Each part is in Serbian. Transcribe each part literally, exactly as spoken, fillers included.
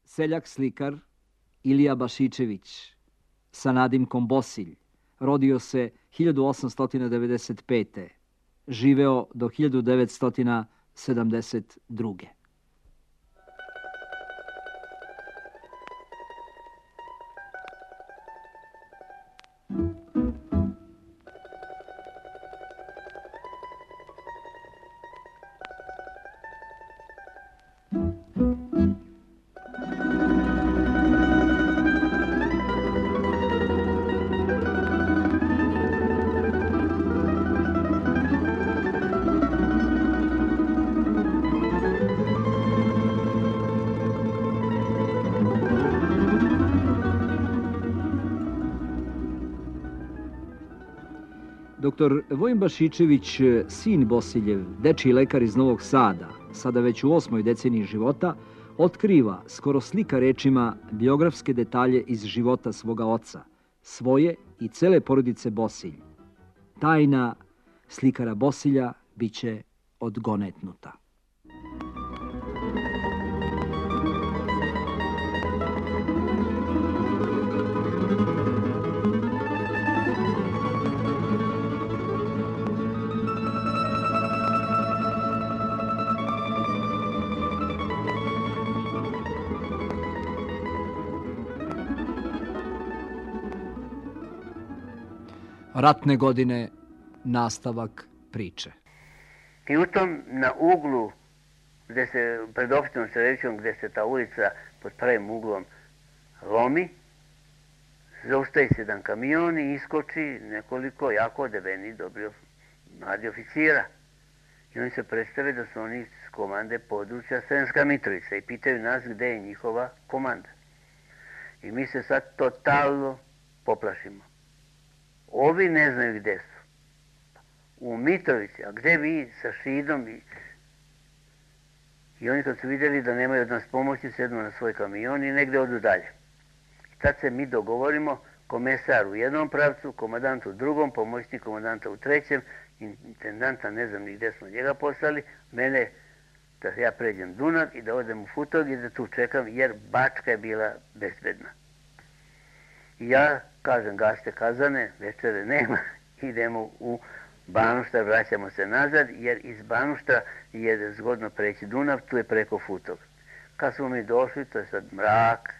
Seljak slikar Ilija Bašičević sa nadimkom Bosilj rodio se hiljadu osamsto devedeset pete. Živeo do hiljadu devetsto sedamdeset druge. Doktor Vojin Bašičević, sin Bosiljev, dečiji lekar iz Novog Sada, sada već u osmoj deceniji života, otkriva, skoro slika rečima, biografske detalje iz života svoga oca, svoje i cele porodice Bosilj. Tajna slikara Bosilja biće odgonetnuta. Ratne godine, nastavak priče. I u tom na uglu, gde se, pred opštinom Srećom, gde se ta ulica pod pravim uglom lomi, zaustavi se jedan kamion i iskoči nekoliko jako odeveni dobri mladi oficira. I oni se predstave da su oni iz komande područja Sremska Mitrovica i pitaju nas gde je njihova komanda. I mi se sad totalno poplašimo. Ovi ne znaju gde su. U Mitrovici, a gde vi sa Šidom? I, i oni kad su vidjeli da nemaju od nas pomoći, sednu na svoj kamion i negde odu dalje. I tad se mi dogovorimo, komesar u jednom pravcu, komandant u drugom, pomoćnik komandanta u trećem, intendanta, ne znam ni gde smo njega poslali, mene da ja pređem Dunav i da odem u Futog i da tu čekam, jer Bačka je bila bezbedna. I ja kažem, gaste kazane, večere nema, idemo u Banuštar, vraćamo se nazad, jer iz Banuštra je zgodno preći Dunav, tu je preko Futog. Kad smo mi došli, to je sad mrak,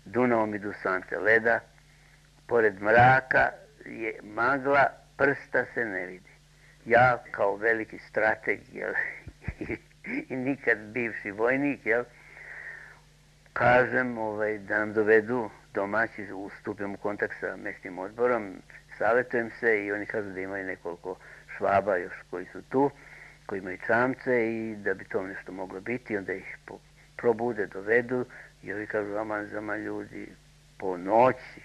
Dunavom idu sante leda, pored mraka je magla, prsta se ne vidi. Ja kao veliki strateg, jel, i, i nikad bivši vojnik, jel, kažem ovaj, da nam dovedu domaći, ustupim u kontakt sa mesnim odborom, savjetujem se i oni kažu da imaju nekoliko Švaba još koji su tu, koji imaju čamce i da bi to nešto moglo biti, onda ih probude, dovedu i ovi kažu, aman zama ljudi, po noći,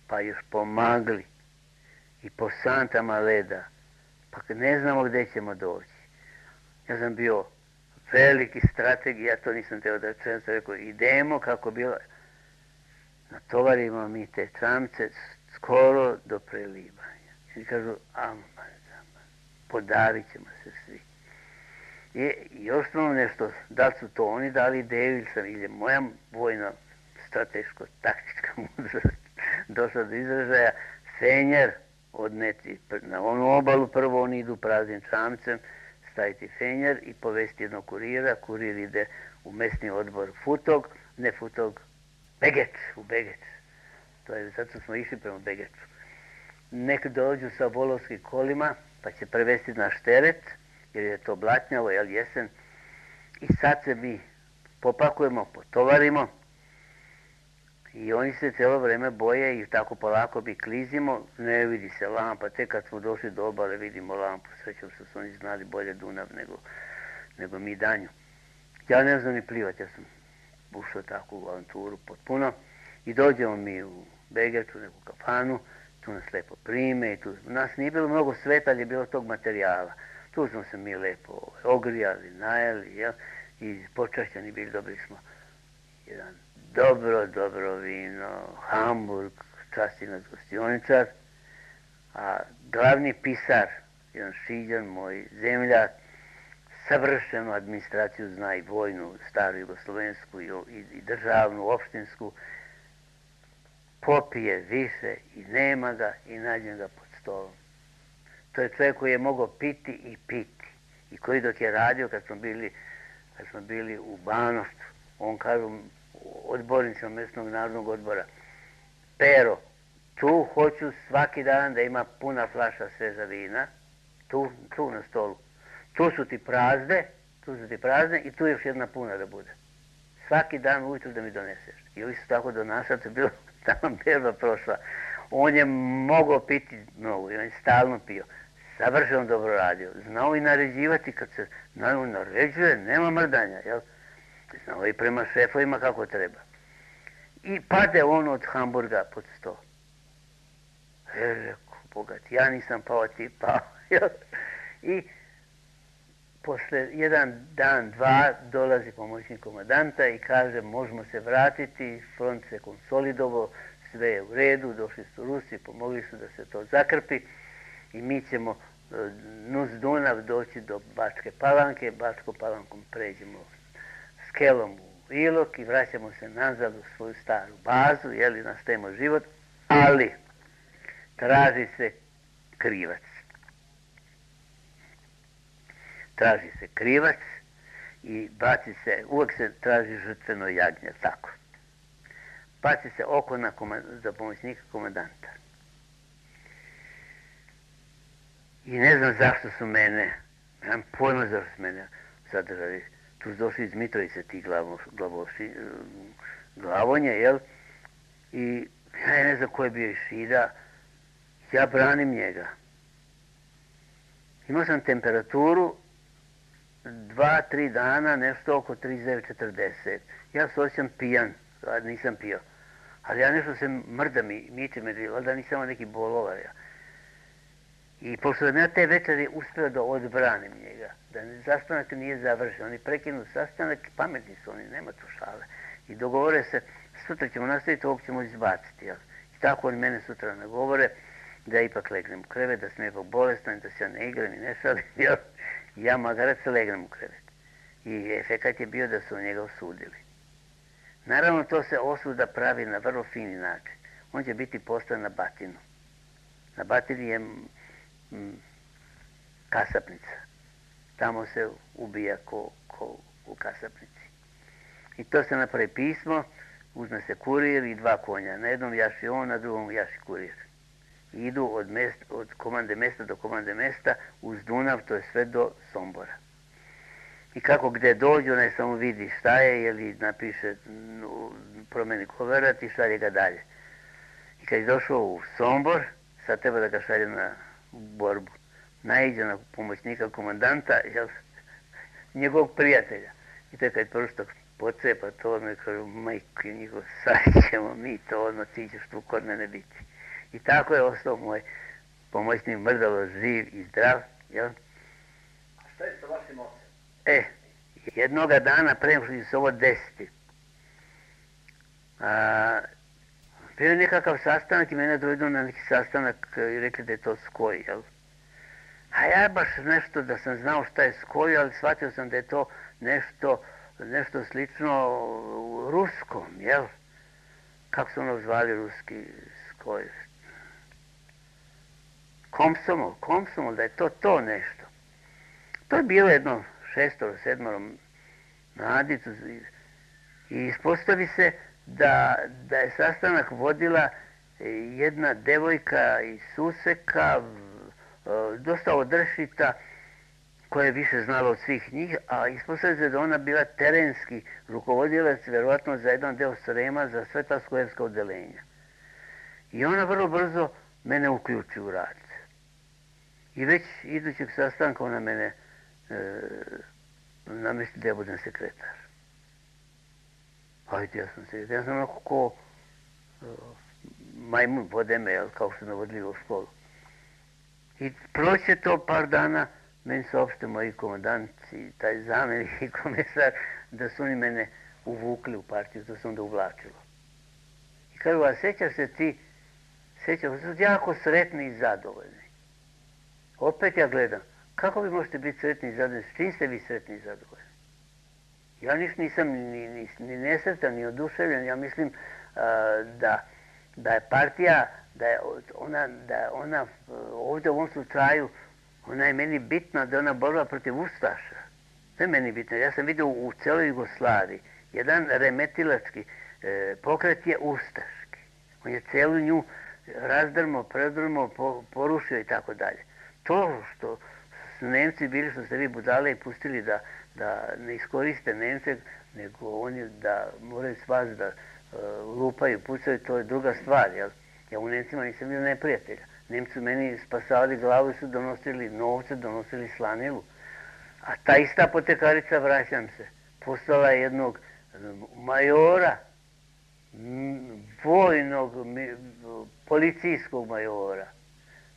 pa još po magli i po santama leda, pa ne znamo gde ćemo doći. Ja sam bio veliki strateg i ja to nisam teo da čujem, sam rekao, idemo kako bilo, natovarimo mi te čamce skoro do prelivanja. I kažu, aman, aman, podavit ćemo se svi. I još smo nešto, da li su to oni dali ideju ili sam, ili je moja vojna strateško-taktička mudrost došla do izražaja, fenjer odneti na onu obalu, prvo oni idu praznim čamcem, staviti fenjer i povesti jednog kurira, kurir ide u mesni odbor Futog, ne Futog, Begeč, u Begeč. To je, zato smo išli prema Begeču. Nek dođu sa volovskim kolima, pa će prevesti naš teret, jer je to blatnjavo, jel, jesen. I sad se mi popakujemo, potovarimo i oni se cijelo vreme boje i tako polako bi klizimo, ne vidi se lampa, tek kad smo došli do obale vidimo lampu, srećom što su oni znali bolje Dunav nego, nego mi danju. Ja ne znam ni plivati, ja sam ušao tako u avanturu potpuno i dođemo mi u Begeču, neku kafanu, tu nas lepo prime i tu, nas nije bilo mnogo sveta, ali je bilo tog materijala. Tu smo se mi lepo ogrijali, najeli, jel, i počašćeni bili, dobili smo jedan dobro, dobro vino, Hamburg, časti nas gostioničar, a glavni pisar, jedan Šiđan, moj zemljak, savršenu administraciju, zna i vojnu, staru jugoslovensku i, i, i državnu, opštinsku, popije više i nema ga i nađe ga pod stolom. To je čovjek koji je mogao piti i piti. I koji dok je radio, kad smo bili, kad smo bili u Banovcu, on kažu odbornicima mjesnog narodnog odbora, Pero, tu hoću svaki dan da ima puna flaša sveža vina, tu, tu na stolu. Tu su ti prazne, tu su ti prazne i tu još jedna puna da bude. Svaki dan ujutro da mi doneseš. I ovi su tako donašali, to je bilo tamo berba prošla. On je mogao piti mnogo i on je stalno pio. Savršeno dobro radio. Znao i naređivati kad se naravno naređuje, nema mrdanja, jel? Znao i prema šefovima kako treba. I pade on od Hamburga pod sto. E, rekao, bogat, ja nisam pao, ti pao, jel? I posle jedan dan, dva, dolazi pomoćnik komandanta i kaže, možemo se vratiti, front se konsolidovo, sve je u redu, došli su Rusi, pomogli su da se to zakrpi i mi ćemo nuz Dunav doći do Bačke Palanke, Bačkom Palankom pređemo Skelom u Ilok i vraćamo se nazad u svoju staru bazu, jeli, nastavimo život, ali traži se krivac. Traži se krivac i baci se, uvijek se traži žrtveno jagnje, tako. Baci se oko na komand, za pomoćnika komandanta. I ne znam zašto su mene, nemam pojma zašto su mene zadržali. Tu su došli iz Mitrovice ti glavo, glavoši, glavonje, jel? I ja ne znam ko je bio iz Šida, ja branim njega. Imao sam temperaturu dva, tri dana, nešto oko trideset devet četrdeset. Ja se osjećam pijan, nisam pio. Ali ja nešto se mrdam i miče me, valjda nisam imao neki bolovar. Ja. I pošto sam ja te večeri uspio da odbranim njega, da sastanak nije završen, oni prekinu sastanak, pametni su oni, nema tu šale. I dogovore se, sutra ćemo nastaviti, ovog ćemo izbaciti. Jel? I tako oni mene sutra nagovore da ipak legnem u krevet, da sam ipak bolestan, da se ja ne igram i ne šalim. Jel? Ja magarac legnem u krevet. I efekat je bio da su njega osudili. Naravno, to se osuda pravi na vrlo fini način. On će biti poslan na Batinu. Na Batini je m, kasapnica. Tamo se ubija ko, ko u kasapnici. I to se napravi pismo, uzme se kurir i dva konja. Na jednom jaši on, na drugom jaši kurir. I idu od, mest, od komande mesta do komande mesta uz Dunav, to je sve do Sombora. I kako gde dođu, ne samo vidi šta je, ili napiše, promeni koverat i šalje ga dalje. I kad je došao u Sombor, sad treba da ga šalje na borbu. Naiđe na pomoćnika komandanta, jel, njegovog prijatelja. I to je kad prsto pocepa to, ono i kažu, majko njihov, sad ćemo mi to, ono, ti ćeš tu kod mene biti. I tako je ostao moj pomoćnik Mrdalo živ i zdrav, jel? A šta je sa vašim ocem? E, jednoga dana pre nego što se ovo desiti, a, bio je nekakav sastanak i mene dovedu na neki sastanak i rekli da je to Skoj, jel? A ja baš nešto da sam znao šta je Skoj, ali shvatio sam da je to nešto, nešto slično ruskom, jel? Kako su ono zvali ruski Skoj? Komsomol, komsomol, da je to to nešto. To je bilo jedno šestoro, sedmoro mladicu i ispostavi se da, da je sastanak vodila jedna devojka iz Suseka, dosta odršita, koja je više znala od svih njih, a ispostavi se da ona bila terenski rukovodilac, verovatno za jedan deo Srema, za sve ta skojevska odelenja. I ona vrlo brzo mene uključi u rad. I već idućeg sastanka ona mene e, namesti da ja budem sekretar. Ajde, ja sam sekretar. Ja sam onako ko e, majmun vode me, kao što me vodili u školu. I proće to par dana, meni se opšte moji komandanti, taj zamjenik i komesar, da su oni mene uvukli u partiju, to se onda uvlačilo. I kažu, a sećaš se ti, sećaš se, su jako sretni i zadovoljni. Opet ja gledam, kako vi možete biti sretni i zadovoljni? S čim ste vi sretni i zadovoljni? Ja niš nisam ni, ni, ni nesretan, ni oduševljen. Ja mislim uh, da, da je partija, da je ona, da je ona ovdje u ovom slučaju, ona je meni bitna, da je ona borba protiv Ustaša. To je meni bitno. Ja sam vidio u celoj Jugoslaviji jedan remetilački e, pokret je ustaški. On je celu nju razdrmo, predrmo, po, porušio i tako dalje. To što su Nemci bili, što ste vi budale i pustili da, da ne iskoriste Nemce, nego oni da moraju vas da e, lupaju, pucaju, to je druga stvar. Jel? Ja u Nemcima nisam bio neprijatelja. Nemci meni spasavali glavu i su donosili novce, donosili slanilu. A ta ista apotekarica, vraćam se, postala jednog majora, vojnog, policijskog majora.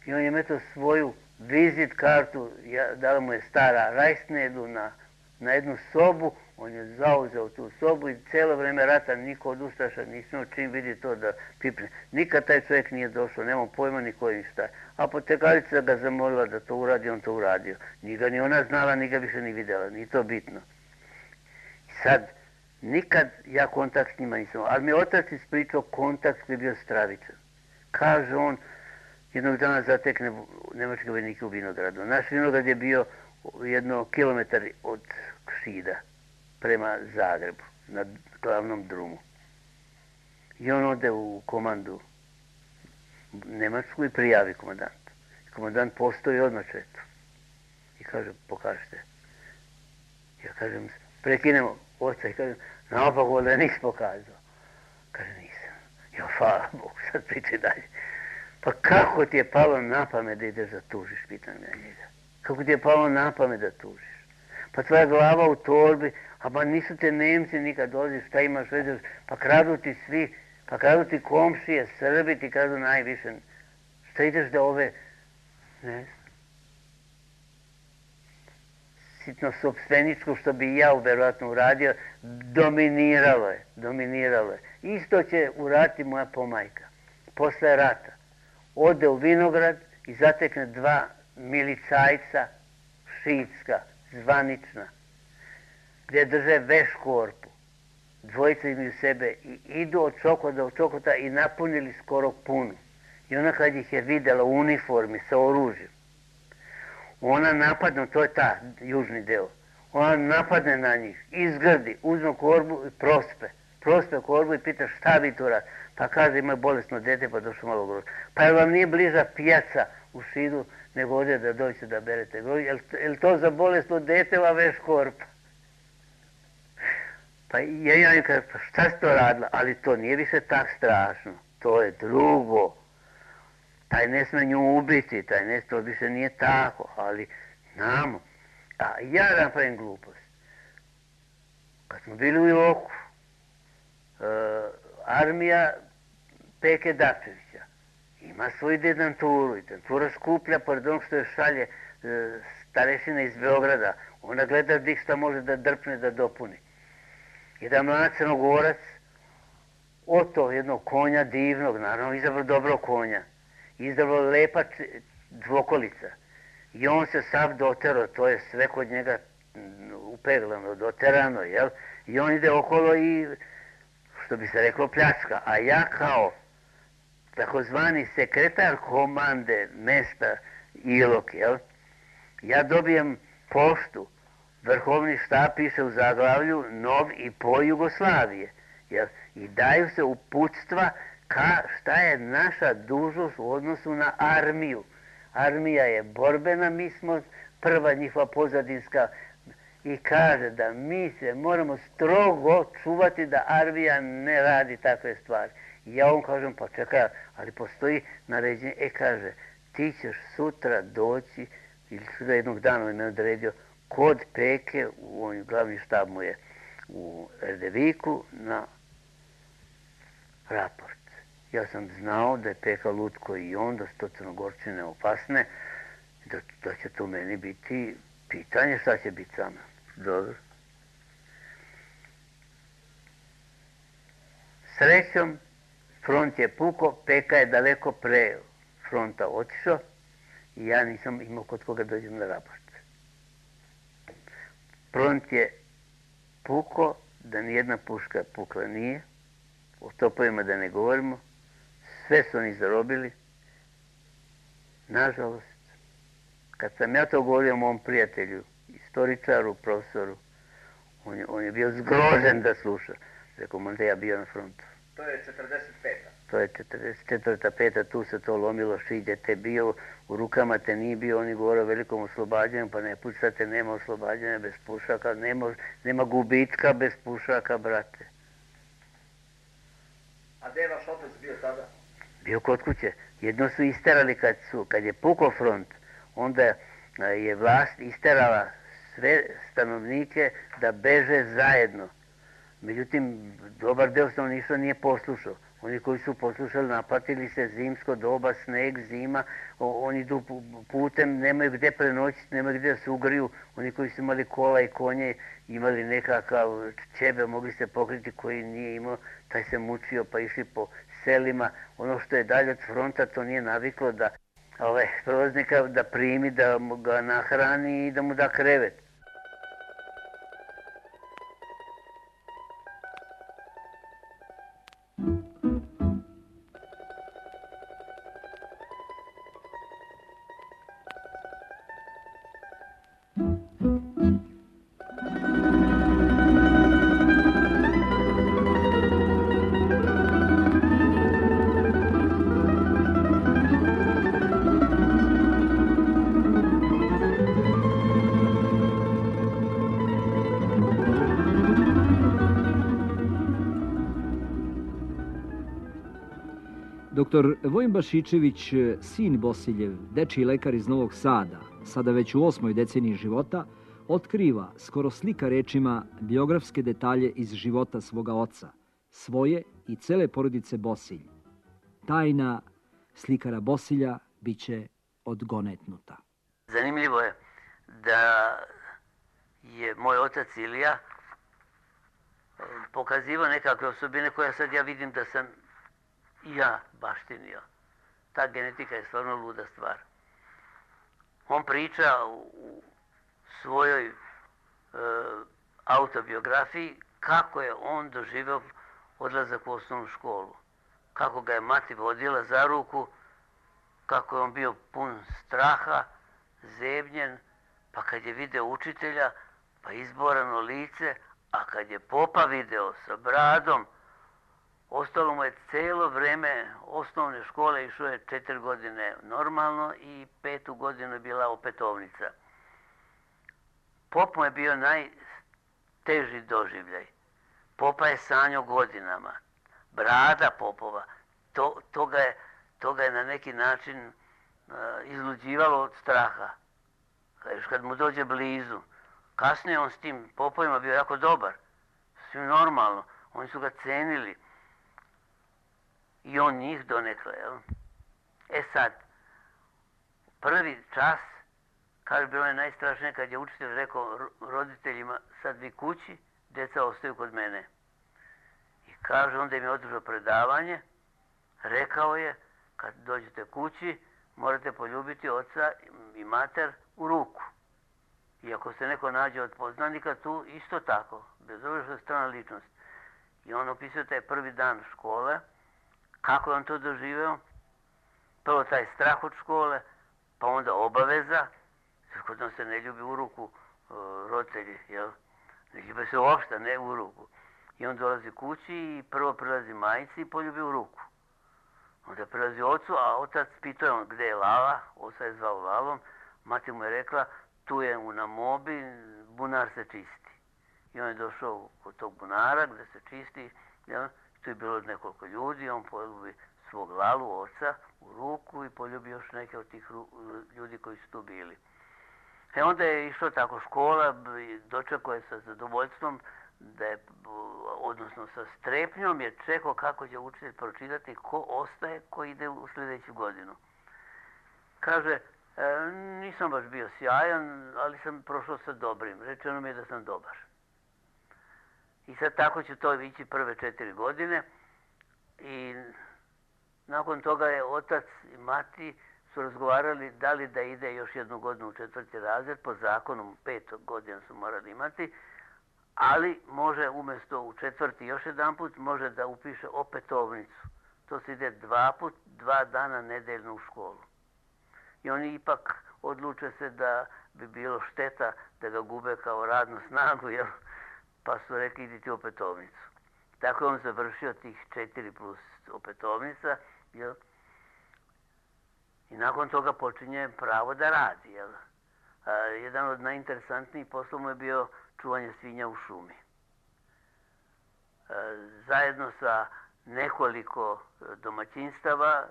I on je metao svoju vizit kartu, dala mu je stara Rajsnedu na, na jednu sobu, on je zauzeo tu sobu i cijelo vreme rata niko od Ustaša nismo čim vidi to da pipne. Nikad taj čovjek nije došao, nema pojma ni koji šta je. Apotekarica ga zamolila da to uradi, on to uradio. Ni ga ni ona znala, ni ga više ni vidjela, ni to bitno. I sad, nikad ja kontakt s njima nisam, ali mi je otac ispričao kontakt koji je bio stravičan. Kaže on, jednog dana zatekne nemačke vojnike u vinogradu. Naš vinograd je bio jedno kilometar od Šida prema Zagrebu, na glavnom drumu. I on ode u komandu Nemačku i prijavi komandantu. Komandant postoji odmah četu. I kaže, pokažite. Ja kažem, prekinemo oca i kažem, naopako da nisi pokazao. Kaže, nisam. Ja, hvala Bogu, sad pričaj dalje. Pa kako ti je palo na pamet da ideš da tužiš, pitam ja njega. Kako ti je palo na pamet da tužiš? Pa tvoja glava u torbi, a pa nisu te Nemci nikad dolazi, šta imaš veze, pa kradu ti svi, pa kradu ti komšije, Srbi ti kradu najviše. Šta ideš da ove, ne znam, sitno sopstveničko, što bi ja verovatno uradio, dominiralo je, dominiralo je. Isto će uraditi moja pomajka. Posle rata ode u vinograd i zatekne dva milicajca šiitska, zvanična, gdje drže veš korpu. Dvojica imaju sebe i idu od Čokota do Čokota i napunili skoro punu. I ona kad ih je vidjela u uniformi sa oružjem, ona napadne, to je ta južni deo, ona napadne na njih, izgrdi, uzme korbu i prospe. Prospe korbu i pita šta vi tu radi. Pa kaže, ima bolesno dete, pa došlo malo groža. Pa jel vam nije bliža pijaca u Šidu, nego ovdje da dođete da berete groža? Jel, jel to za bolesno dete va veš korpa? Pa ja ja im kažem, pa šta si to radila? Ali to nije više tak strašno. To je drugo. Taj ne sme nju ubiti, taj ne, to više nije tako, ali znamo. A ja napravim glupost. Kad smo bili u Iloku, uh, armija Peke Dačevića ima svoju dedanturu i dentura skuplja, pored onog što je šalje e, starešina iz Beograda. Ona gleda dik šta može da drpne, da dopuni. Jedan mlad Crnogorac, oto jednog konja divnog, naravno izabrao dobro konja, izabrao lepa dvokolica. I on se sav dotero, to je sve kod njega upeglano, doterano, jel? I on ide okolo i, što bi se reklo, pljačka. A ja kao takozvani sekretar komande mesta Ilok, jel? Ja dobijem poštu, vrhovni štab piše u zaglavlju nov i po Jugoslavije, jel? I daju se uputstva ka šta je naša dužnost u odnosu na armiju. Armija je borbena, mi smo prva njihova pozadinska, i kaže da mi se moramo strogo čuvati da armija ne radi takve stvari. I ja on kažem, pa čekaj, ali postoji naređenje, e kaže, ti ćeš sutra doći, ili sutra jednog dana me odredio, kod Peke, u on glavni štab mu je u Erdeviku, na raport. Ja sam znao da je Peka lutko i on, da su to Crnogorčine opasne, da, da će to meni biti pitanje šta će biti sa mnom. Dobro. Srećom, front je puko, Peka je daleko pre fronta otišao i ja nisam imao kod koga dođem na raport. front je puko, da nijedna puška pukla nije, o topovima da ne govorimo, sve su oni zarobili. Nažalost, kad sam ja to govorio mom prijatelju, istoričaru, profesoru, on je, on je bio zgrožen da sluša. Rekao, možda ja bio na frontu. To je četrdeset peta. To je četrdeset četvrta, peta, tu se to lomilo, šiđe te bio, u rukama te nije bio, oni govore o velikom oslobađanju, pa ne pucate, nema oslobađanja bez pušaka, nema, nema gubitka bez pušaka, brate. A gdje je vaš otac bio tada? Bio kod kuće. Jedno su isterali kad, su, kad je pukao front, onda je vlast isterala sve stanovnike da beže zajedno. Međutim, dobar deo stanovništva nije poslušao. Oni koji su poslušali napatili se zimsko doba, sneg, zima, o, oni idu putem, nemaju gdje prenoćiti, nemaju gdje da se ugriju. Oni koji su imali kola i konje, imali nekakav čebe, mogli se pokriti, koji nije imao, taj se mučio pa išli po selima. Ono što je dalje od fronta, to nije naviklo da ovaj, prolaznika da primi, da ga nahrani i da mu da krevet. Doktor Vojin Bašičević, sin Bosiljev, dečiji lekar iz Novog Sada, sada već u osmoj deceniji života, otkriva, skoro slika rečima, biografske detalje iz života svoga oca, svoje i cele porodice Bosilj. Tajna slikara Bosilja biće odgonetnuta. Zanimljivo je da je moj otac Ilija pokazivao nekakve osobine koje sad ja vidim da sam i ja baštinio. Ta genetika je stvarno luda stvar. On priča u svojoj e, autobiografiji kako je on doživio odlazak u osnovnu školu. Kako ga je mati vodila za ruku, kako je on bio pun straha, zebnjen, pa kad je video učitelja, pa izborano lice, a kad je popa video sa bradom, ostalo mu je cijelo vreme osnovne škole, išao je četiri godine normalno i petu godinu je bila opetovnica. Pop mu je bio najteži doživljaj. Popa je sanjao godinama. Brada popova, to, to, ga je, to ga je na neki način uh, izluđivalo od straha. Još kad mu dođe blizu. Kasnije on s tim popovima bio jako dobar. Svim normalno. Oni su ga cenili. I on njih donekle, jel? E sad, prvi čas, kaže, bilo je najstrašnije kad je učitelj rekao roditeljima, sad vi kući, djeca ostaju kod mene. I kaže, onda im je održao predavanje, rekao je, kad dođete kući, morate poljubiti oca i mater u ruku. I ako se neko nađe od poznanika, tu isto tako, bez obzira što je strana ličnost. I on opisuje taj prvi dan škole, kako je on to doživeo? Prvo taj strah od škole, pa onda obaveza, jer kod nas se ne ljubi u ruku uh, roditelji, jel? Ne ljubi se uopšte, ne u ruku. I on dolazi kući i prvo prilazi majici i poljubi u ruku. Onda prilazi ocu, a otac pitao je on gdje je Lala, oca je zvao Lalom, mati mu je rekla, tu je u Namobi, bunar se čisti. I on je došao kod tog bunara gdje se čisti, jel? Tu je bilo nekoliko ljudi, on poljubi svog Lalu, oca, u ruku i poljubi još neke od tih ljudi koji su tu bili. E onda je išlo tako škola, dočekao je sa zadovoljstvom, da je, odnosno sa strepnjom je čekao kako će učitelj pročitati ko ostaje, ko ide u sljedeću godinu. Kaže, e, nisam baš bio sjajan, ali sam prošao sa dobrim. Rečeno mi je da sam dobar. I sad tako će to ići prve četiri godine i nakon toga je otac i mati su razgovarali da li da ide još jednu godinu u četvrti razred, po zakonu pet godina su morali imati, ali može umjesto u četvrti još jedan put, može da upiše opetovnicu. To se ide dva put, dva dana nedeljno u školu. I oni ipak odluče se da bi bilo šteta da ga gube kao radnu snagu, jel? Pa su rekli idi ti opetovnicu. Tako je on završio tih četiri plus opetovnica, jel? I nakon toga počinje pravo da radi, jel? A, jedan od najinteresantnijih poslova mu je bio čuvanje svinja u šumi. A, zajedno sa nekoliko domaćinstava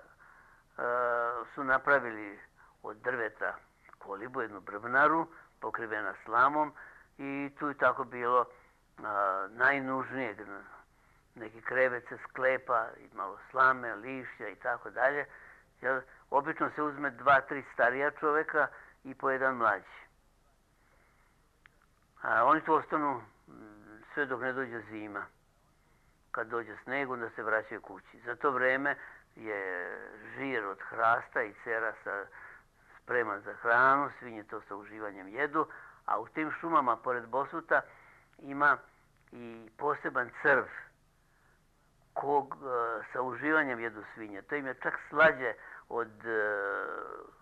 a, su napravili od drveta kolibu, jednu brvnaru, pokrivena slamom, i tu je tako bilo a, najnužnijeg, neki krevet se sklepa, i malo slame, lišća i tako dalje. Jer obično se uzme dva, tri starija čovjeka i po jedan mlađi. A oni tu ostanu sve dok ne dođe zima. Kad dođe sneg, onda se vraćaju kući. Za to vreme je žir od hrasta i cerasa spreman za hranu, svinje to sa uživanjem jedu, a u tim šumama pored Bosuta ima i poseban crv kog e, sa uživanjem jedu svinje. To im je čak slađe od, e,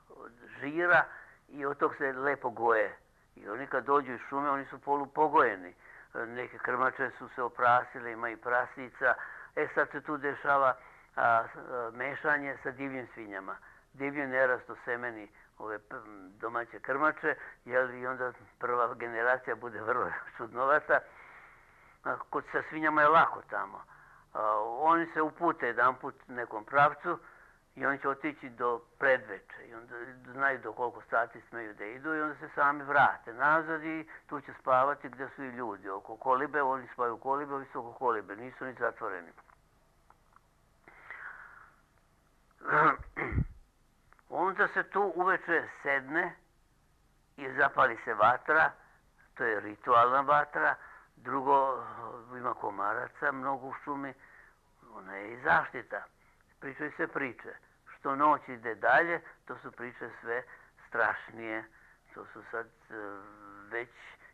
od žira i od tog se lepo goje. I oni kad dođu iz šume, oni su polupogojeni. E, neke krmače su se oprasile, ima i prasnica. E sad se tu dešava a, a, mešanje sa divljim svinjama. Divlji nerasto semeni ove domaće krmače, jer i onda prva generacija bude vrlo čudnovata. A, kod sa svinjama je lako tamo. Uh, oni se upute jedan put nekom pravcu i oni će otići do predveče i onda znaju do koliko sati smeju da idu i onda se sami vrate nazad i tu će spavati gdje su i ljudi. Oko kolibe, oni spavaju u kolibe, ovi su oko kolibe, nisu ni zatvoreni. Onda se tu uveče sedne i zapali se vatra, to je ritualna vatra. Drugo, ima komaraca mnogo u šumi, ona je i zaštita. Pričaju se priče. Što noć ide dalje, to su priče sve strašnije. To su sad već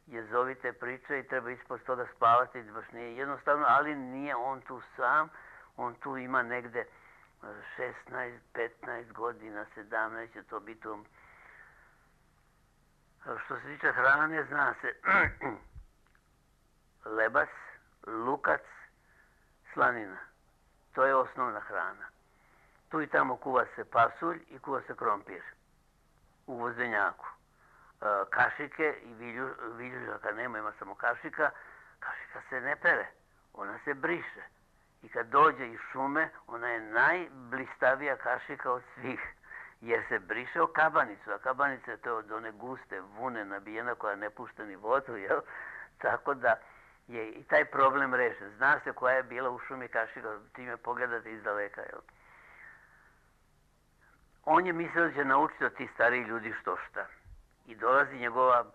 jezovite priče i treba ispod toga spavati, baš nije jednostavno, ali nije on tu sam. On tu ima negde šesnaest, petnaest godina, sedamnaest će to biti. Što se tiče hrane, zna se lebac, lukac, slanina. To je osnovna hrana. Tu i tamo kuva se pasulj i kuva se krompir u vozenjaku. E, kašike i vilju, viljužaka nema, ima samo kašika. Kašika se ne pere, ona se briše. I kad dođe iz šume, ona je najblistavija kašika od svih. Jer se briše o kabanicu, a kabanica je to od one guste vune nabijena koja ne pušta ni vodu, jel? Tako da je i taj problem rešen. Zna se koja je bila u šumi kašika, time pogledate iz daleka, jel? On je mislio da će naučiti od tih starih ljudi što šta. I dolazi njegova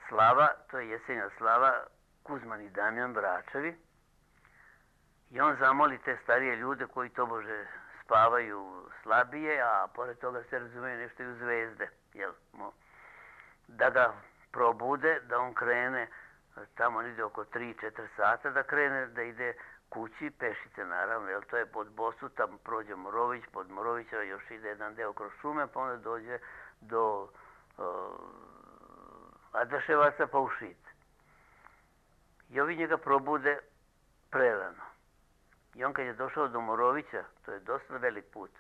slava, to je jesenja slava, Kuzman i Damjan Bračevi. I on zamoli te starije ljude koji tobože spavaju slabije, a pored toga se razumeju nešto i u zvezde, jel? Da ga probude, da on krene, tamo on ide oko tri četiri sata, da krene, da ide kući, pešice naravno, jer to je pod Bosuta, prođe Morović, pod Morovića još ide jedan deo kroz šume, pa onda dođe do uh, Adaševaca pa u Šid. I ovi njega probude prerano. I on kad je došao do Morovića, to je dosta velik put,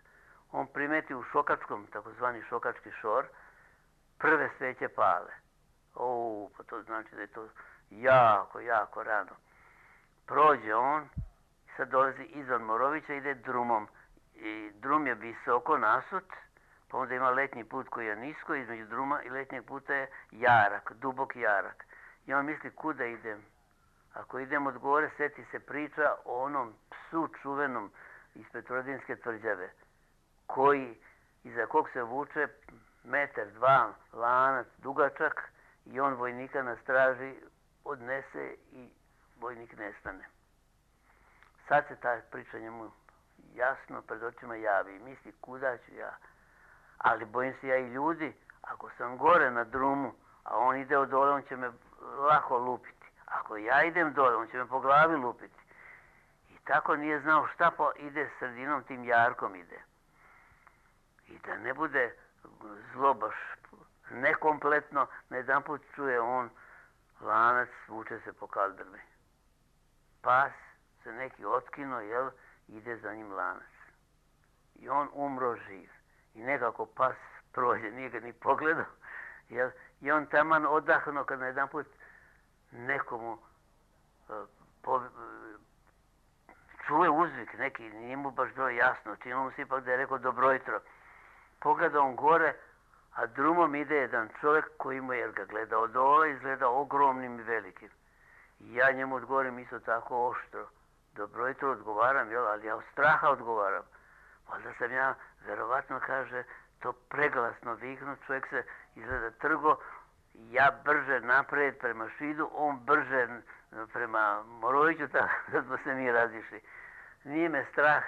on primeti u Šokačkom, takozvani Šokački šor, prve sveće pale. O, pa to znači da je to jako, jako rano. Prođe on, sad dolazi izvan Morovića, ide drumom. I drum je visoko nasut, pa onda ima letnji put koji je nisko, između druma i letnjeg puta je jarak, dubok jarak. I on misli kuda idem. Ako idem od gore, seti se priča o onom psu čuvenom iz Petrovaradinske tvrđave, koji, iza kog se vuče metar, dva, lanac, dugačak, i on vojnika na straži odnese i vojnik nestane. Sad se ta priča njemu jasno pred očima javi i misli kuda ću ja. ali bojim se ja i ljudi, ako sam gore na drumu, a on ide od dole, on će me lako lupiti. Ako ja idem dole, on će me po glavi lupiti. I tako nije znao šta, pa ide sredinom, tim jarkom ide. I da ne bude zlo baš nekompletno, na jedan put čuje on lanac, vuče se po kaldrmi. Pas se neki otkino, jel, ide za njim lanac. I on umro živ. I nekako pas prođe, nije ga ni pogledao. Jel, i on taman odahnuo kad na jedan put nekomu uh, po, uh, čuje uzvik neki, nije mu baš bilo jasno, činilo mu se ipak da je rekao dobro jutro. Pogleda on gore, a drumom ide jedan čovjek koji mu je, jer ga gleda od dole, izgleda ogromnim i velikim. I ja njemu odgovorim isto tako oštro. Dobro jutro odgovaram, jel, ali ja od straha odgovaram. Valjda sam ja, verovatno kaže, to preglasno viknu, čovjek se izgleda trgo, ja brže naprijed prema Šidu, on brže prema Moroviću, tako da smo se mi razišli. Nije me strah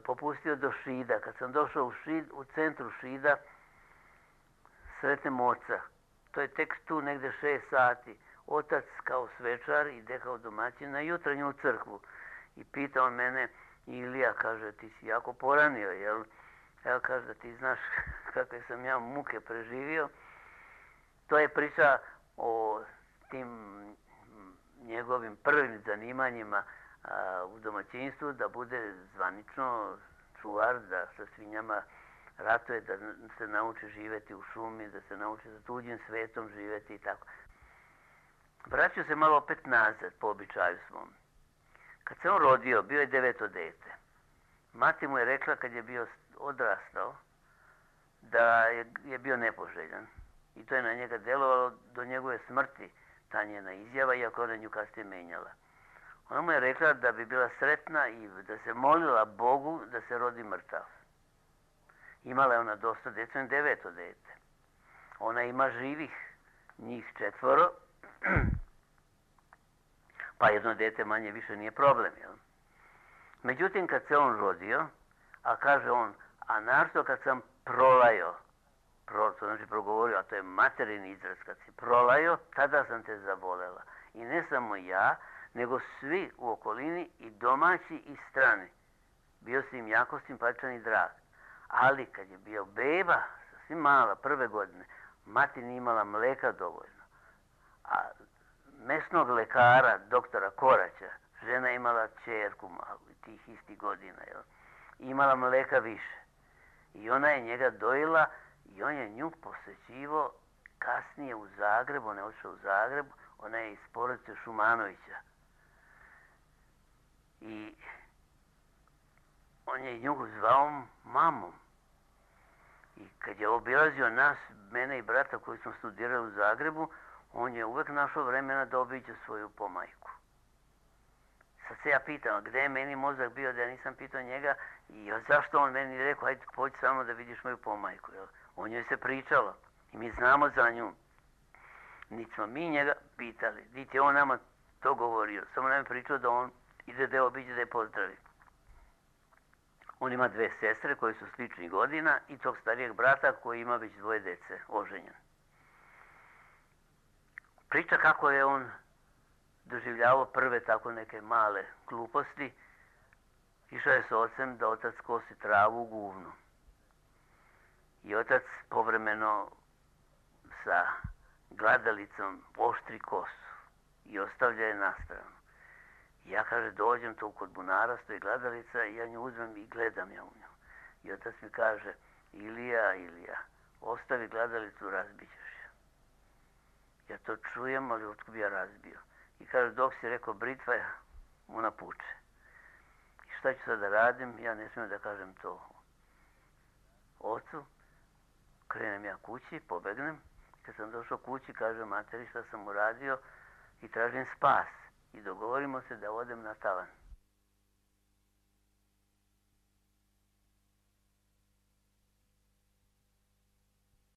popustio do Šida. Kad sam došao u Šid, u centru Šida, sretnem oca. To je tek tu negde šest sati. Otac kao svečar ide kao domaćin na jutranju crkvu. I pita on mene, Ilija, kaže, ti si jako poranio, jel? Evo, kaže, da ti znaš kakve sam ja muke preživio. To je priča o tim njegovim prvim zanimanjima a, u domaćinstvu, da bude zvanično čuvar, da sa svinjama ratuje, da se nauči živjeti u šumi, da se nauči za tuđim svetom živjeti i tako. Vraćao se malo opet nazad po običaju svom. Kad se on rodio, bio je deveto dete. Mati mu je rekla kad je bio odrastao da je, je bio nepoželjan. I to je na njega delovalo do njegove smrti, ta njena izjava, iako ona nju kasnije menjala. Ona mu je rekla da bi bila sretna i da se molila Bogu da se rodi mrtav. Imala je ona dosta djece, deveto dete. Ona ima živih, njih četvoro, pa jedno dete manje više nije problem, jel? Međutim, kad se on rodio, a kaže on, a našto kad sam prolajo, pro, to znači progovorio, a to je materin izraz, kad si prolajo, tada sam te zavolela. I ne samo ja, nego svi u okolini, i domaći i strani. Bio si im jako simpatičan i drag. Ali kad je bio beba, sasvim mala, prve godine, mati nije imala mleka dovoljno. A mesnog lekara, doktora Koraća, žena imala ćerku malu, tih istih godina, jel? Imala mleka više. I ona je njega dojila i on je nju posjećivo kasnije u Zagrebu, ona je otišla u Zagrebu, ona je iz porodice Šumanovića. I on je nju zvao mamom. I kad je obilazio nas, mene i brata koji smo studirali u Zagrebu, on je uvek našao vremena da obiđe svoju pomajku. Sad se ja pitam, gde je meni mozak bio da ja nisam pitao njega i zašto on meni rekao, hajde pođi samo da vidiš moju pomajku. Jel? O njoj se pričalo i mi znamo za nju. Niti smo mi njega pitali, niti je on nama to govorio. Samo nam je pričao da on ide da je obiđe, da je pozdravi. On ima dve sestre koje su sličnih godina i tog starijeg brata koji ima već dvoje dece, oženjen. Priča kako je on doživljavao prve tako neke male gluposti. Išao je s ocem da otac kosi travu u guvnu. I otac povremeno sa gladalicom oštri kosu i ostavlja je na stranu. I ja, kaže, dođem tu kod bunara, stoji gladalica i ja nju uzmem i gledam ja u nju. I otac mi kaže, Ilija, Ilija, ostavi gladalicu, razbićeš je. Ja to čujem, ali otkud bi ja razbio. I kaže, dok si rekao britva, ona puče. I šta ću sad da radim? Ja ne smijem da kažem to ocu. Krenem ja kući, pobegnem. Kad sam došao kući, kaže materi šta sam uradio i tražim spas. I dogovorimo se da odem na tavan.